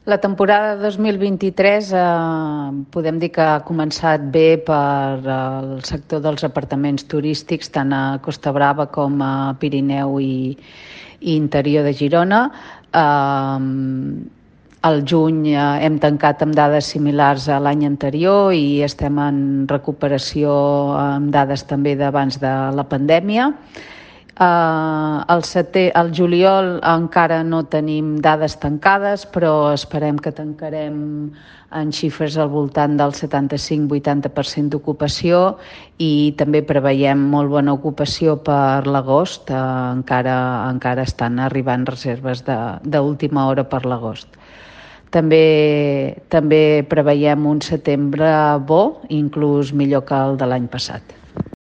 La temporada 2023 podem dir que ha començat bé per el sector dels apartaments turístics, tant a Costa Brava com a Pirineu i interior de Girona. Al juny hem tancat amb dades similars a l'any anterior i estem en recuperació amb dades també d'abans de la pandèmia. Al juliol encara no tenim dades tancades, però esperem que tancarem en xifres al voltant del 75-80% d'ocupació i també preveiem molt bona ocupació per l'agost. Encara estan arribant reserves d'última hora per l'agost. També preveiem un setembre bo, inclús millor que el de l'any passat.